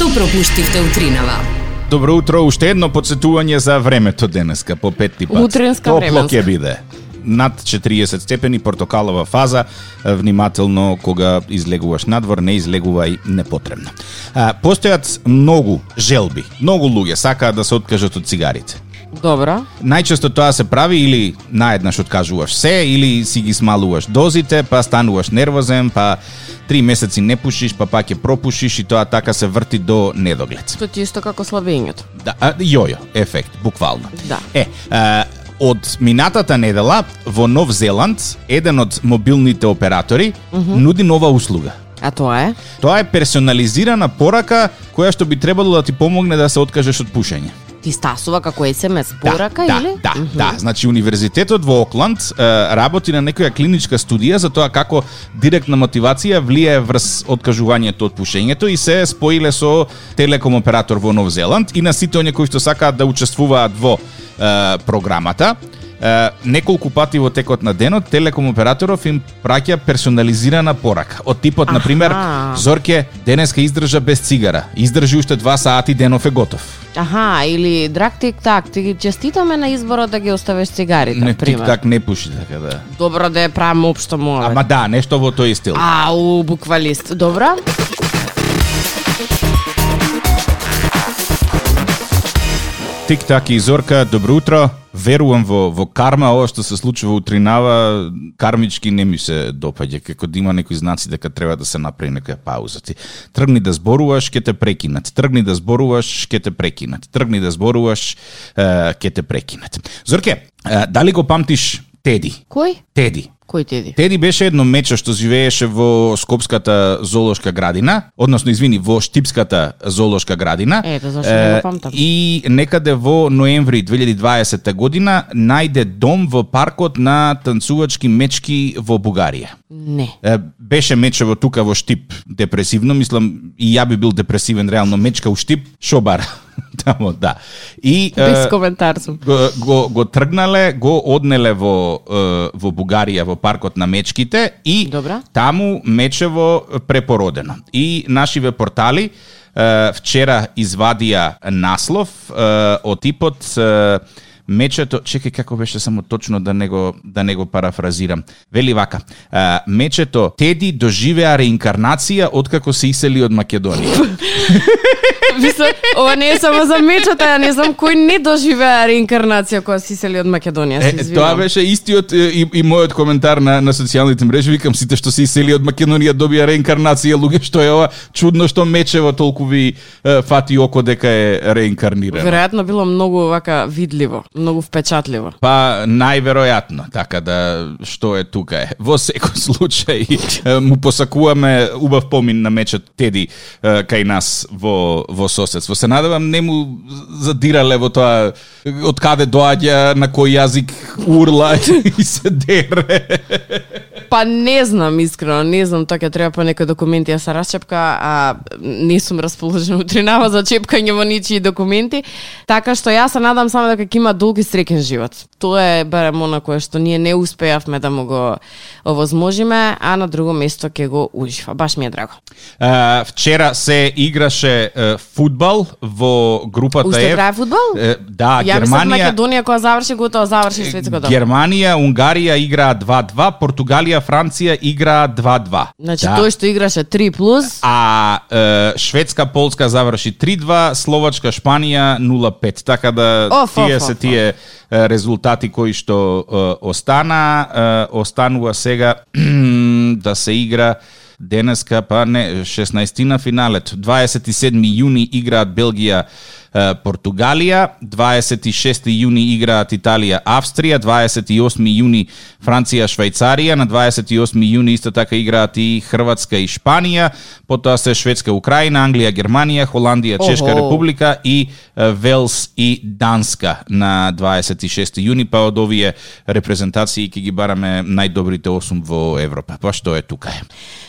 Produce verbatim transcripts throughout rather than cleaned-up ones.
Што пропуштивте утринава? Добро утро, уште едно подсетување за времето денеска по петти пат. Утренска Топло временска. ќе биде. Над четириесет степени, портокалова фаза, внимателно кога излегуваш надвор, не излегувај непотребно. А, постојат многу желби, многу луѓе сакаат да се откажат од цигарите. Добро. Најчесто тоа се прави или наеднаш откажуваш се, или си ги смалуваш дозите, па стануваш нервозен, па три месеци не пушиш, па пак ќе пропушиш и тоа така се врти до недоглед. Што ти исто како слабењето. Да, а, јојо ефект, буквално. Да. Е, а, од минатата недела во Нов Зеланд, еден од мобилните оператори mm-hmm. нуди нова услуга. А тоа е? Тоа е персонализирана порака која што би требало да ти помогне да се откажеш од пушење. Ти стасува како ес ем ес порака да, или? Да, Mm-hmm. да. Значи, Универзитетот во Окланд е, работи на некоја клиничка студија за тоа како директна мотивација влијае врз откажувањето од пушењето и се споиле со телеком оператор во Нов Зеланд и на сите оние кои што сакаат да учествуваат во е, програмата. Uh, неколку пати во текот на денот телеком операторов им праќа персонализирана порака. Од типот, Аха. например, Зорке, денеска издржа без цигара. Издржи уште два сати, денов е готов. Аха, или драг тик-так, ти честитаме на изборот да ги оставиш цигарите, Не, пример. тик-так не пуши, така да. Добро да ја правам општо моле. Ама да, нешто во тој стил. Ау, буквалист. Добро? Тик-так и Зорка, добро утро. Верувам во во карма, ова што се случува утринава, кармички не ми се допаѓа, како да има некои знаци дека треба да се направи некоја пауза. Ти тргни да зборуваш, ќе те прекинат. Тргни да зборуваш, ќе те прекинат. Тргни да зборуваш, е, ќе те прекинат. Зорке, е, дали го памтиш Теди? Кој? Теди. Кој Теди? Теди беше едно мече што живееше во Скопската зоолошка градина, односно, извини, во Штипската зоолошка градина. Ето, зашто не го памтам. И некаде во ноември две илјади и дваесета година најде дом во паркот на танцувачки мечки во Бугарија. Не. Е, беше мечево тука во Штип, депресивно, мислам и ја би бил депресивен реално, мечка у Штип, шо бара. Тамо, да. И Без е, коментар сум. го, го, го тргнале, го однеле во, е, во Бугарија, во паркот на мечките и Добра. таму мечево препородено. И нашиве портали е, вчера извадија наслов е, од типот е, мечето, чекај како беше само точно да не го да не го парафразирам. Вели вака: е, мечето Теди доживеа реинкарнација откако се исели од Македонија. Мислам, ова не е само за мечата, ја не знам кој не доживеа реинкарнација кога се исели од Македонија, се Е, извинувам. тоа беше истиот е, и, и мојот коментар на, на социјалните мрежи. Викам, сите што се исели од Македонија добија реинкарнација, луѓе, што е ова чудно што мечево толку ви е, фати око дека е реинкарнирано. Веројатно било многу вака видливо, многу впечатливо. Па најверојатно, така да што е тука е. Во секој случај е, му посакуваме убав помин на мечот Теди е, кај нас во во соседство. Се надевам не му задирале во тоа од каде доаѓа, на кој јазик урла и се дере. Па не знам, искрено, не знам, тоа ќе треба по некои документи да се расчепка, а не сум расположена утринава за чепкање во ничии документи, така што јас се надам само дека ќе има долг и среќен живот. Тоа е барем она кое што ние не успеавме да му го овозможиме, а на друго место ќе го ужива. Баш ми е драго. Uh, вчера се играше uh, фудбал во групата Уште F. трае фудбал? Uh, да, Ја мислам Германија. Македонија кога заврши готово заврши светското. Германија, Унгарија играа два-два, Португалија, Франција играа два-два. Значи Да. тој што играше три плюс, А е, Шведска, Полска заврши три-два, Словачка, Шпанија нула-пет. Така да Оф, тие оф, се оф, тие е, резултати кои што е, остана, е, останува сега да се игра денеска, па не, шеснаесеттина финалето. дваесет и седми јуни играат Белгија, Португалија, дваесет и шести јуни играат Италија, Австрија, дваесет и осми јуни Франција, Швајцарија, на дваесет и осми јуни исто така играат и Хрватска и Шпанија, потоа се Шведска, Украина, Англија, Германија, Холандија, Чешка Охо. република и е, Велс и Данска на дваесет и шести јуни, па од овие репрезентации ќе ги бараме најдобрите осум во Европа. Па што е тука е?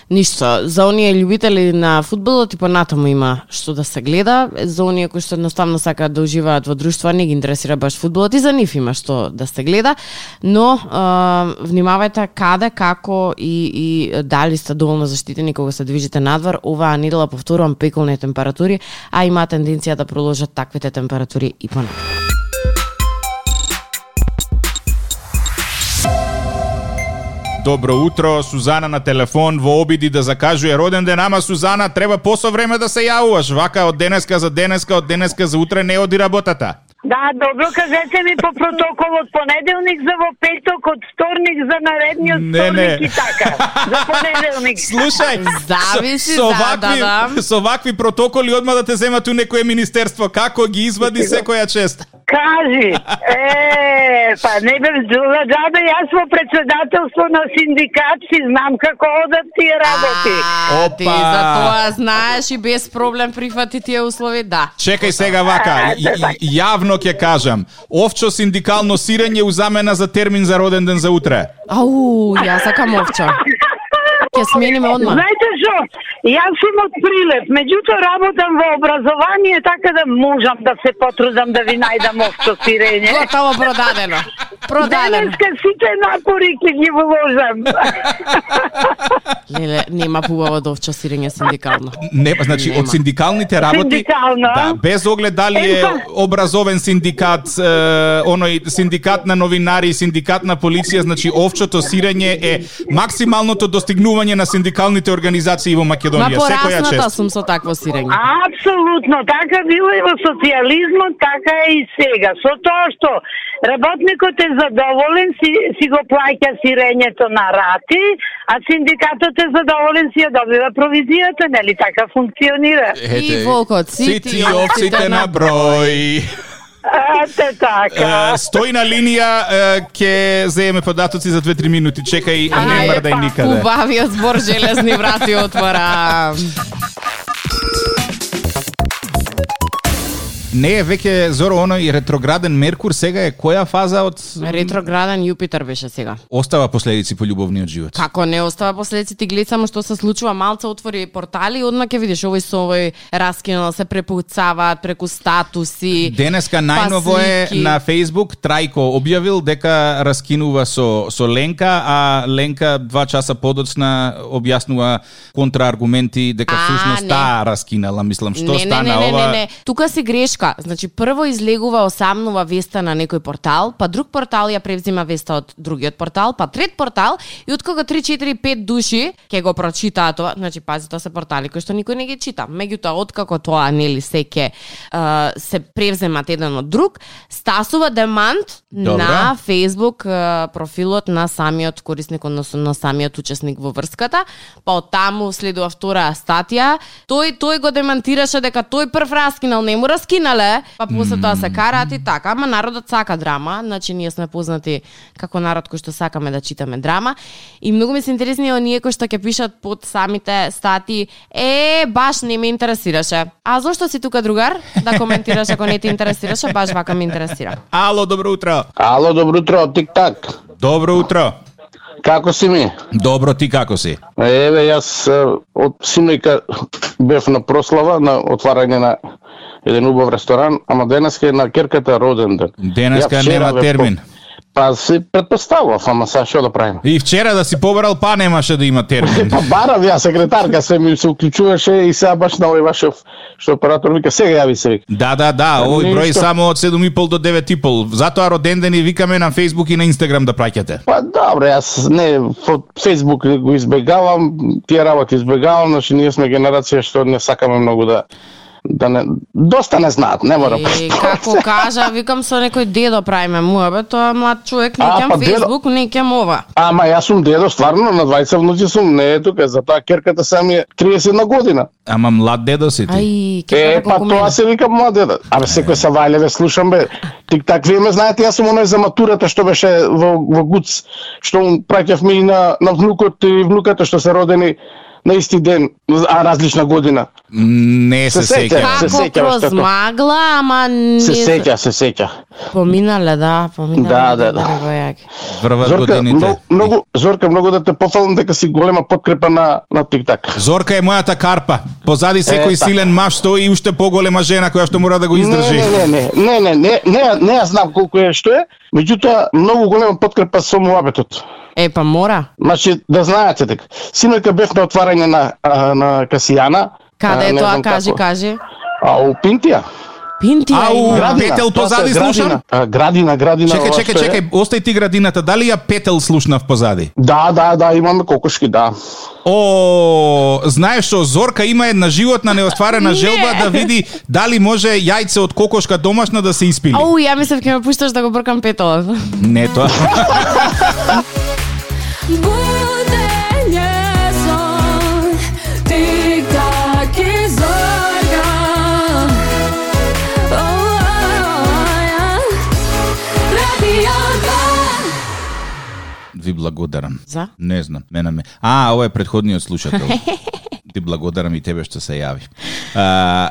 ништо. За оние љубители на фудбалот и понатаму има што да се гледа. За оние кои што едноставно сакаат да уживаат во друштво, не ги интересира баш фудбалот и за нив има што да се гледа. Но а, внимавајте каде, како и, и дали сте доволно заштитени кога се движите надвор. Оваа недела, повторувам, пеколни температури, а има тенденција да продолжат таквите температури и понатаму. Добро утро, Сузана на телефон во обиди да закажува роден ден, ама Сузана треба посо време да се јавуваш, вака од денеска за денеска, од денеска за утре не оди работата. Да, добро, кажете ми по протокол од понеделник за во петок, од вторник за наредниот вторник и така. За понеделник. Слушај, зависи со, со, за, вакви, да, да. со вакви протоколи одма да те земат у некое министерство, како ги извади секоја чест? Кажи, е, па не бе, джабе, јас во председателство на синдикат си знам како одат тие работи. А, ти за тоа знаеш и без проблем прифати тие услови, да. Чекај сега вака, и, и, јавно ќе кажам, овчо синдикално сирење у замена за термин за роден ден за утре. Ау, јас сакам овча. Ќе смениме одма. Знаете што? Јас сум од Прилеп, меѓутоа работам во образование, така да можам да се потрудам да ви најдам овчо сирење. Готово продадено. Продадено. Денеска сите напори ќе ги вложам. Леле, нема побаво од овчо сирење синдикално. Не, значи Нема. од синдикалните работи, Синдикално, да, без оглед дали е Епа. образовен синдикат, е, оној синдикат на новинари, синдикат на полиција, значи овчото сирење е максималното достигнување на синдикалните организации во Македонија. Ма Секоја порасната чест. сум со такво сирење. Апсолутно, така било и во социјализмот, така е и сега. Со тоа што работникот е задоволен, си, си го плаќа сирењето на рати, а синдикатот е задоволен, си ја добива провизијата, нели така функционира? И волкот сити, сити овците на број. Ете така. Е, стои на линија, е, ќе земеме податоци за две-три минути. Чекај, не мрдај никаде. Убавиот збор железни врати отвора. Не е веќе, Зоро, оној ретрограден Меркур, сега е која фаза од... Ретрограден Јупитер беше сега. Остава последици по љубовниот живот. Како не остава последици, ти гледа само што се случува, малце отвори портали и одма ќе видиш овој со овој раскинал се препуцаваат преку статуси. Денеска најново е слики. на Facebook Трајко објавил дека раскинува со со Ленка, а Ленка два часа подоцна објаснува контрааргументи дека А, всушност не. таа раскинала, мислам, што не, стана не, не, ова. Не, не, не, тука си грешка. Значи, прво излегува осамнува веста на некој портал, па друг портал ја превзима веста од другиот портал, па трет портал и од кога три, четири, пет души ќе го прочитаа тоа, значи пази, тоа се портали кои што никој не ги чита. Меѓутоа, откако тоа нели се ќе uh, се превземат еден од друг, стасува демант Добра. на Facebook uh, профилот на самиот корисник, односно на самиот учесник во врската, па од таму следува втора статија. Тој тој го демантираше дека тој прв раскинал, не му раскинале, па после тоа се караат и така, ама народот сака драма, значи ние сме познати како народ кој што сакаме да читаме драма и многу ми се интересни оние кои што ќе пишат под самите статии, е, баш не ме интересираше. А зошто си тука, другар, да коментираш ако не те интересираше, баш вака ме интересира. Ало, добро утро. Ало, добро утро, тик-так. Добро утро. Како си ми? Добро, ти како си? Еве, јас е, од синојка бев на прослава, на отварање на еден убав ресторан, ама денеска е на керката роден ден. Денеска Ја вчера нема бев термин. по- Па си предпоставав, ама сега што да правиме? И вчера да си побарал, па немаше да има термин. Па барав ја секретарка, се ми се уклучуваше и сега баш на овој вашов што оператор вика, сега јави се вика. Да, да, да, овој број Ништо. само од седум и пол до девет и пол. Затоа роден ден и викаме на Facebook и на Instagram да праќате. Па добре, јас не во Facebook го избегавам, тие работи избегавам, значи ние сме генерација што не сакаме многу да да не доста не знаат, не мора. Е, како кажа, викам со некој дедо правиме муабе, тоа млад човек, не А, кем па дедо- Facebook, не кем ова. Ама јас сум дедо, стварно, на двајца внуци сум, не е тука, затоа керката сам е триесет на година. Ама млад дедо си ти. Ај, ќе Е, кажа па колку тоа мене. се вика моја деда. Абе, секој са вајлеве слушам, бе. Тик-так, вие ме знаете, јас сум оној за матурата што беше во, во ГУЦ, што му праќавме и на, на внукот и внуката што се родени на исти ден, а различна година. Не се, се сеќа. Се Како сеќа кроз магла, ама не... Се сеќа, се сеќа. Поминале, да, поминале. Да, да, да. Врват Зорка, годините. многу, многу, Зорка, многу да те пофалам дека си голема подкрепа на, на TikTok. Зорка е мојата карпа. Позади секој Е, силен маж стои и уште поголема жена која што мора да го издржи. Не, не, не, не, не, не, не, не, ја знам колку е што е, меѓутоа многу голема подкрепа со муабетот. Е, па мора. Значи, да знаете дека синојка бев на отварање на, а, на Касијана. Каде а, е не тоа, знам кажи, како. кажи. А у Пинтија. Пинтија Ау, има. Градина. Петел Тоа се позади градина. слушам? А, Градина, градина. Чекај, ова чекај, што е. чекај, остај ти градината. Дали ја Петел слушнав позади? Да, да, да, имаме кокошки, да. О, знаеш што, Зорка има една животна неостварена желба да види дали може јајце од кокошка домашна да се испили. Ау, ја мислев ќе ме пушташ да го бркам петолот. Не тоа. Ви благодарам. За? Не знам, мене ме. А, ова е претходниот слушател. Ти благодарам и тебе што се јави. А,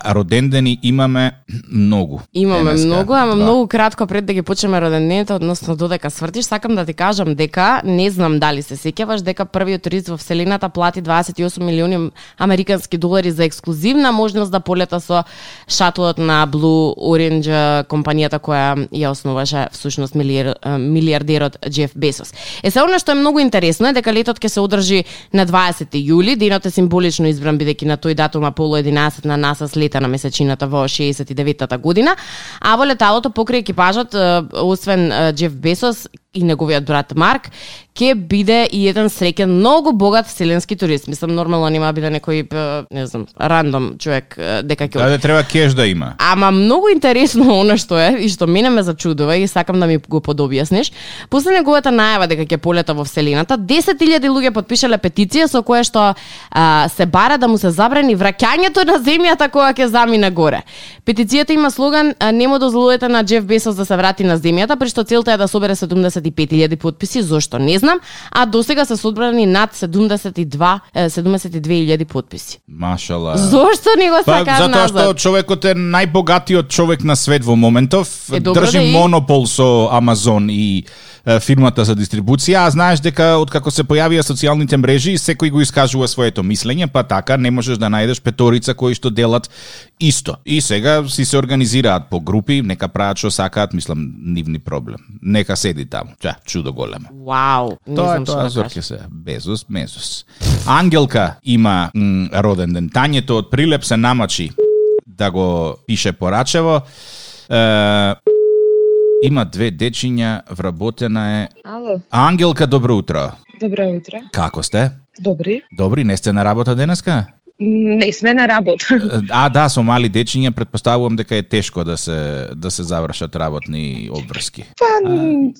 родендени имаме многу. Имаме денеска. многу, ама Да. многу кратко пред да ги почнеме родендените, односно додека свртиш, сакам да ти кажам дека, не знам дали се сеќаваш, дека првиот турист во Вселената плати дваесет и осум милиони американски долари за ексклузивна можност да полета со шатлот на Blue Orange, компанијата која ја основаше всушност милиар, милиардерот Джеф Безос. Е, се она што е многу интересно е дека летот ќе се одржи на дваесети јули, денот е символично избран бидејќи на тој датум Аполо единаесет на НАСА слета на месечината во шеесет и деветата година, а во леталото покрај екипажот, освен Джеф Безос и неговиот брат Марк, ќе биде и еден среќен, многу богат вселенски турист. Мислам, нормално нема биде некој, не знам, рандом човек дека ќе... Да, да треба кеш да има. Ама многу интересно она што е и што мене ме зачудува и сакам да ми го подобјасниш. После неговата најава дека ќе полета во Вселената, десет илјади луѓе потпишале петиција со која што а, се бара да му се забрани враќањето на земјата кога ќе замине горе. Петицијата има слоган "Не му дозволете на Джеф Безос да се врати на земјата", при што целта е да собере седумдесет и пет илјади потписи, зошто не знам, а досега се собрани над седумдесет и два седумдесет и две илјади потписи. Машала. Зошто не го Па, сакаш затоа назад? што човекот е најбогатиот човек на свет во моментов, Е, добро држи да и- монопол со Амазон и е, фирмата за дистрибуција, а знаеш дека откако се појавија социјалните мрежи, секој го искажува своето мислење, па така не можеш да најдеш петорица кои што делат исто. И сега си се организираат по групи, нека прават што сакаат, мислам, нивни проблем. Нека седи таму. Ча, чудо големо. Вау, не Тоа е знам што тоа, да Зорке кажам. се. Безос, Мезос. Ангелка има м, роден ден. Тањето од Прилеп се намачи да го пише порачево. Е, има две дечиња, вработена е. Ало, Ангелка, добро утро. добро утро. Како сте? Добри. Добри, не сте на работа денеска? Не сме на работа. А, да, со мали дечиња предпоставувам дека е тешко да се да се завршат работни обврски. Па,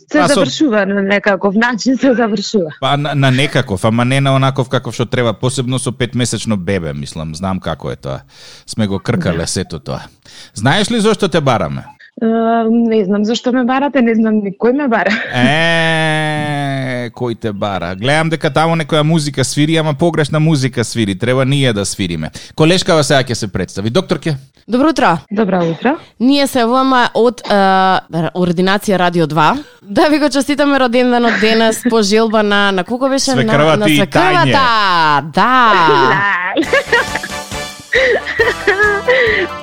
се па со- завршува на некаков начин, се завршува. Па на, на некаков, ама не на онаков каков што треба, посебно со петмесечно бебе, мислам, знам како е тоа. Сме го кркале сето тоа. Знаеш ли зошто те бараме? Uh, не знам зашто ме барате, не знам никој ме бара. Е, кој те бара? Гледам дека таму некоја музика свири, ама погрешна музика свири. Треба ние да свириме. Колешкава сега ќе се представи. Докторке? Добро утро. Добро утро. Ние се вама од е, Ординација Радио два. Да ви го честитаме роденденот денес по желба на на колко беше Свекрвата на, на и свекрвата. Да.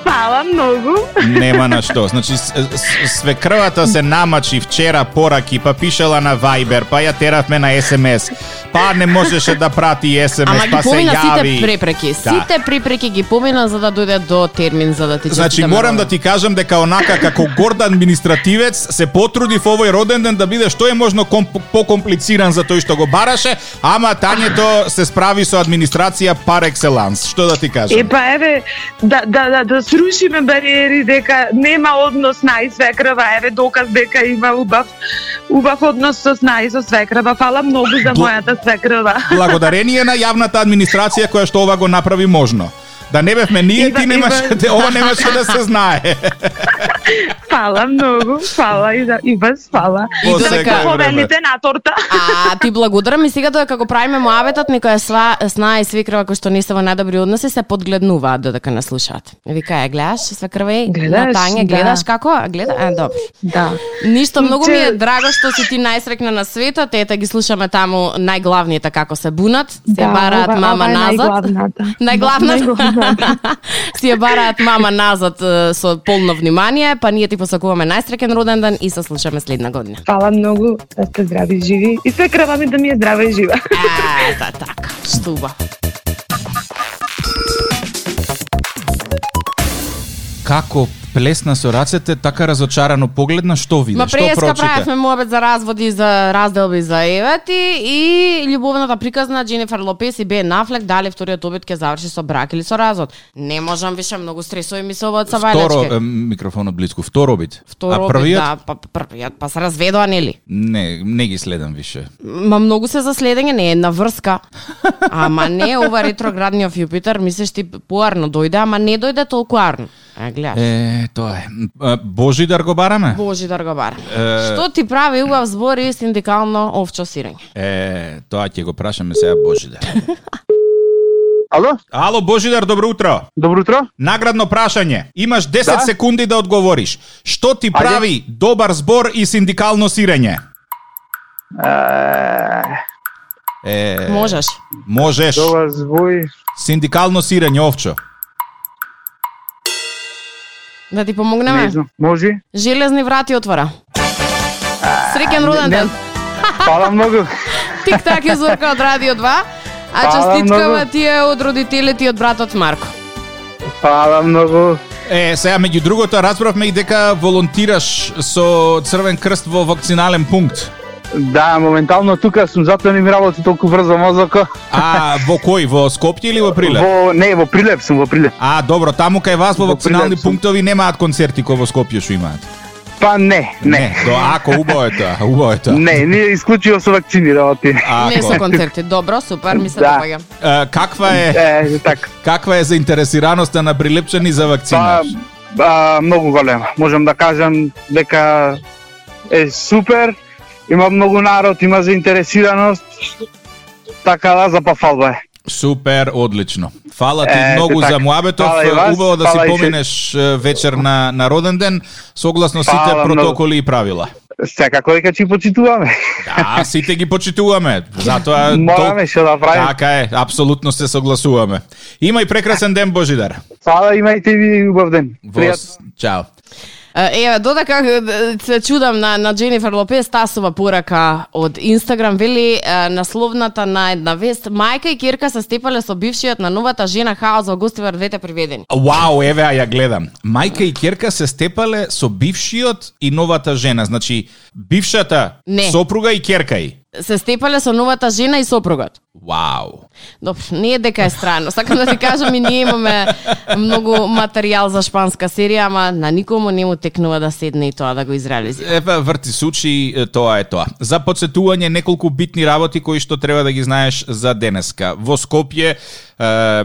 Фала многу. Нема на што. Значи, с- с- свекрвата се намачи вчера пораки, па пишала на Viber, па ја теравме на ес ем ес. Па не можеше да прати ес ем ес, Ама ги па се помина јави. сите препреки. Да. Сите препреки ги помина за да дојде до термин за да ти Значи, честитаме морам да роденден. ти кажам дека онака како горд административец се потруди во овој роден ден да биде што е можно комп- покомплициран за тој што го бараше, ама Тањето се справи со администрација пар екселанс. Што да ти кажам? Е, па еве, да, да, да, да срушиме бариери дека нема однос нај свекрва, еве доказ дека има убав, убав однос со нај со свекрва. Фала многу за Бл- мојата свекрва. Благодарение на јавната администрација која што ова го направи можно. Да не бевме ние, Ива- ти немаше, Ива- ова немаше да се знае. Фала многу, фала и, да, и вас фала. И додека повелите на торта. А ти благодарам и сега додека го правиме муабетот, некоја сва сна и свекрва кои што не се во најдобри односи се подгледнуваат додека не слушаат. Вика, ја гледаш свекрва и на Тања, гледаш да. Како? Гледа, а добро. Да. Ништо многу ми е драго што си ти најсрекна на светот, ете ги слушаме таму најглавните како се бунат, се да, бараат ова, мама ова назад. Најглавната. Најглавната. Си ја бараат мама назад со полно внимание, па ние ти посакуваме најсреќен роден ден и се слушаме следна година. Фала многу, да сте здрави и живи. И свекрва ми да ми е здрава и жива. Ета така, штуба. Како плесна со рацете, така разочарано погледна, што видиш, Ма што преска прочита? правевме муабет за разводи, за разделби, за евети и љубовната приказна Дженифер Лопес и Бен Афлек дали вториот обид ќе заврши со брак или со развод. Не можам више, многу стресови ми се овој од Савајлачке. Второ, е, микрофонот близко, втор обид. Втор а обид, првиот? да, па првиот, па се разведоа, нели? Не, не ги следам више. Ма многу се за следење, не е една врска. Ама не, ова ретроградниот Јупитер, мислиш ти поарно дојде, ама не дојде толку арно. А, гледаш. Е, тоа е. Божидар го бараме? Божидар го бара. Е... Што ти прави убав збор и синдикално овчо сирење? Е, тоа ќе го прашаме сега Божидар. Ало? Ало, Божидар, добро утро. Добро утро. Наградно прашање. Имаш десет Да? секунди да одговориш. Што ти Ајде. прави добар збор и синдикално сирење? Е, Е, Можеш. можеш. добар збој. Синдикално сирење, овчо. Да ти Не помогнеме? знам. Може? Железни врати отвора. Среќен роден не- ден. Фала многу. Тик-так е Зорка од Радио два. А Фала честиткава многу. ти е од родителите и од братот Марко. Фала многу. Е, сега меѓу другото разбравме и дека волонтираш со Црвен крст во вакцинален пункт. Да, моментално тука сум, затоа не ми работи толку брзо мозоко. А во кој? Во Скопје или во Прилеп? Во не, во Прилеп сум, во Прилеп. А, добро, таму кај вас во Во вакцинални Прилеп сум. пунктови немаат концерти кои во Скопје што имаат. Па не, не. До ако убаво е тоа, убаво е тоа. Не, не исклучиво со вакцини работи. Не со Ако. концерти. Добро, супер, ми се Да. допаѓа. Е, каква е Е, така. каква е заинтересираноста на прилепчани за вакцина? Па, а, многу голема. Можам да кажам дека е супер. Има многу народ, има заинтересираност. Така да, за пафалба е. Супер, одлично. Фала ти Е, многу така. за муабетов. Фала и вас, Убаво да си фала и се- поминеш е, вечер на на роден ден согласно сите Фала многу. протоколи и правила. Секако дека ќе почитуваме. Да, сите ги почитуваме. Затоа Мораме што да правиме. Така е, апсолутно се согласуваме. Има и прекрасен ден, Божидар. Фала, имајте ви убав ден. Пријатно. Вос, чао. Еве, додека е, се чудам на, на Дженифер Лопес, тасова порака од Инстаграм, вели е, насловната на една вест: мајка и ќерка се степале со бившиот на новата жена хаос во гостивар двете приведени. Вау, еве ја гледам. Мајка и ќерка се степале со бившиот и новата жена. Значи, бившата Не. сопруга и ќерка и. Се степале со новата жена и сопругот. Вау. Добро, не е дека е странно. Сакам да ти кажам, и ние имаме многу материјал за шпанска серија, ама на никому не му текнува да седне и тоа да го изреализира. Еве, врти сучи, е, тоа е тоа. За подсетување неколку битни работи кои што треба да ги знаеш за денеска. Во Скопје е,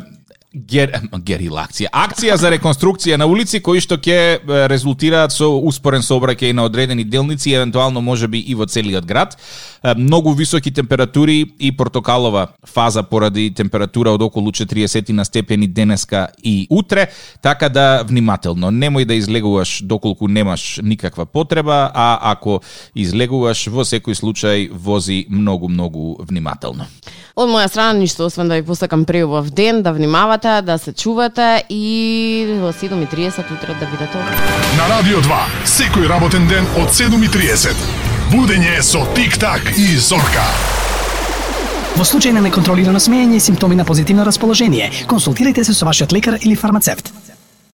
Гер, герила акција. Акција за реконструкција на улици кои што ќе е, резултираат со успорен сообраќај на одредени делници, евентуално можеби и во целиот град. Е, Многу високи температури и портокалова фаза поради температура од околу четириесет на степени денеска и утре, така да внимателно. Немој да излегуваш доколку немаш никаква потреба, а ако излегуваш, во секој случај вози многу, многу внимателно. Од моја страна ништо, освен да ви посакам преубав ден, да внимавате, да се чувате и во седум и триесет утре да бидете овде. На Радио два, секој работен ден од седум и триесет. Будење со Тик-так и Зорка. Во случај на неконтролирано смеење и симптоми на позитивно расположение, консултирайте се со вашиот лекар или фармацевт.